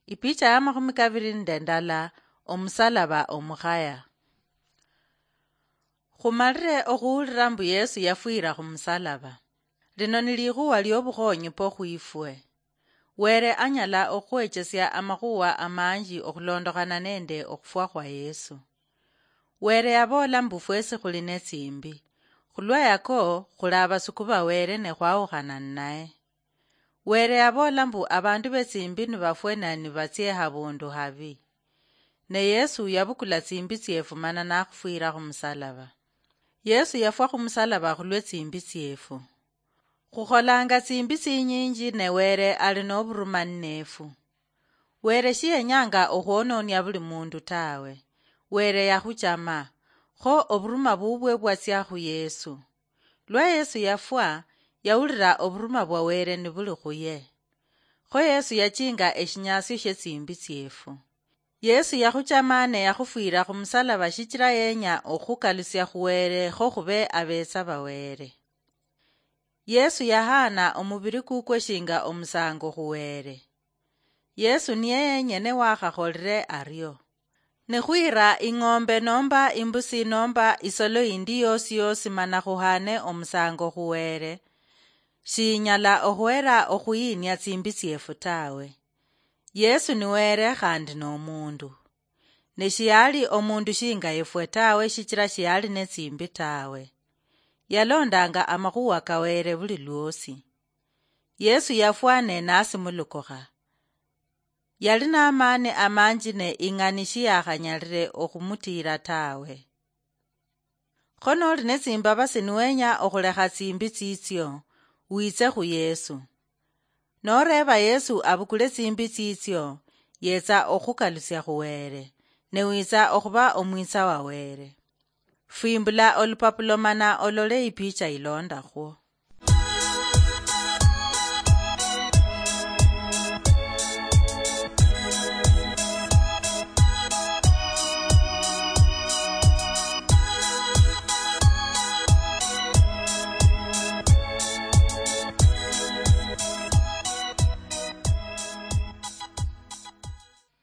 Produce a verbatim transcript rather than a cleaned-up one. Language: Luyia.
Ipicha ya makhumi kaviri nende ndala. Omusalaba omukhaya. Khumalire okhuhulira mbu Yesu yafwira khumusalaba. Lino ni likhuwa liobukhonyi po khwifwe. Were anyala okhukhwechesia amakhuwa amanji okhulondokhana nende okhufwa khwa Yesu. Were yaboola mbu fwesi khuli netsimbi. Khulwa yako, khuli abasuku ba Were ne khwawukhana ninaye. Were yaboola mbu abandu betsimbi nibafwe ne nibatsie habundu habi. Ne Yesu yabukula tsimbi tsiefu mana nakhufwira khumusalaba. Yesu yafwa khumusalaba khulwe tsimbi tsiefu. Khukholanga tsimbi tsinyinji ne Were ali noburuma nnefu. Were shiyenyanga okhwononia buli mundu tawe. Were yakhuchama, kho oburuma bubwe bwatsia khu Yesu. Lwa Yesu yafwa, yawulira oburuma bwa Were nibuli khuye. Kho Yesu yachinga eshinyasio shie tsimbi tsiefu. Yesu yakhuchama ne yakhufwira khumusalaba shichira yenya okhukalusia khu Were kho khube abetsa ba Were. Yesu yahaana omubiri kukwe shinga omusango khu Were. Yesu niye yenyene wakhakholire ario. Nikhwira ing'ombe nomba imbusi nomba isolo indi yosi yosi mana khuhaane omusango khu Were, shiinyala okhwera okhuyiinia tsimbi tsiefu tawe. Yesu ni Were khandi nomundu. Ne shiyali omundu shinga efwe tawe shichira shiyali netsimbi tawe. Yalondanga amakhuwa ka Were buli lwosi. Yesu yafwa ne nasimulukukha. Yali namani amanji ne ing'ani shiyakhanyalire okhumutiira tawe. Kho noli netsimbabasi niwenya okhulekha tsimbi tsitsio, witse khu Yesu. Noreeba Yesu abukule tsimbi tsitsio, yetsa okhukalusia khu Were, ne witsa okhuba omwitsa wa Were. Fwimbula olupapulo mana olole ipicha ilondakhwo.